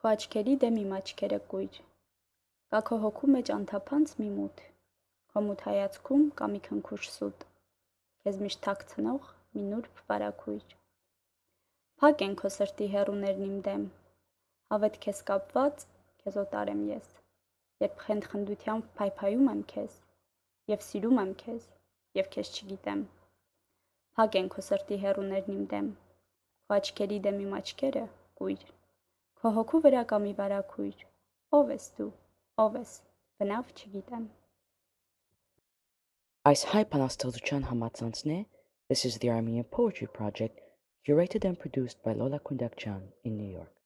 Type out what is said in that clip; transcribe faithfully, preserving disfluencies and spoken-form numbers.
Քո աչքերի դեմ իմ աչքերը կույր, կա քո հոգու մեջ անթափանց մի մութ, քո մութ հայացքում կա մի քնքուշ սուտ, քեզ միշտ թաքցնող մի նուրբ վարագույր։ Փակ են քո սրտի հեռուներն իմ դեմ, հավետ քեզ կապված, քեզ օտար եմ ես, երբ խենթ-խնդությամբ փայփայում եմ քեզ, և սիրում եմ քեզ, և քեզ չգիտեմ։ Փակ են քո սրտի հեռուներն իմ դեմ, քո աչքերի դեմ իմ աչքերը կույր, քո հոգու վրա կա մի վարագույր, ով ես դու, ով ես, բնավ չգիտեմ։ Այս հայ բանաստեղծության համացանցն է This is the Armenian Poetry Project, curated and produced by Lola Kundakjan in New York.